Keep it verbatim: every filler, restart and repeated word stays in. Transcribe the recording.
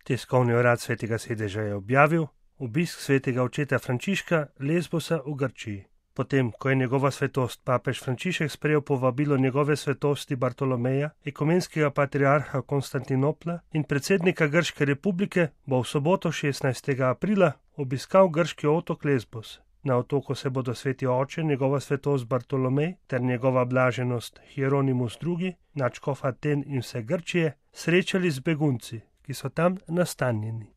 Tiskovni urad Svetega sedeža je objavil obisk svetega očeta Frančiška Lesbosa v Grčiji. Potem, ko je njegova svetost papež Frančišek sprejel povabilo njegove svetosti Bartolomeja, ekumenskega patriarha Konstantinopla in predsednika Grške republike, bo v soboto šestnajstega aprila obiskal grški otok Lesbos. Na otoku se bodo sveti oče, njegova svetost Bartolomej ter njegova blaženost Hieronimus drugi, nadškof Aten in vse Grčije, srečali z begunci, ki so tam nastanjeni.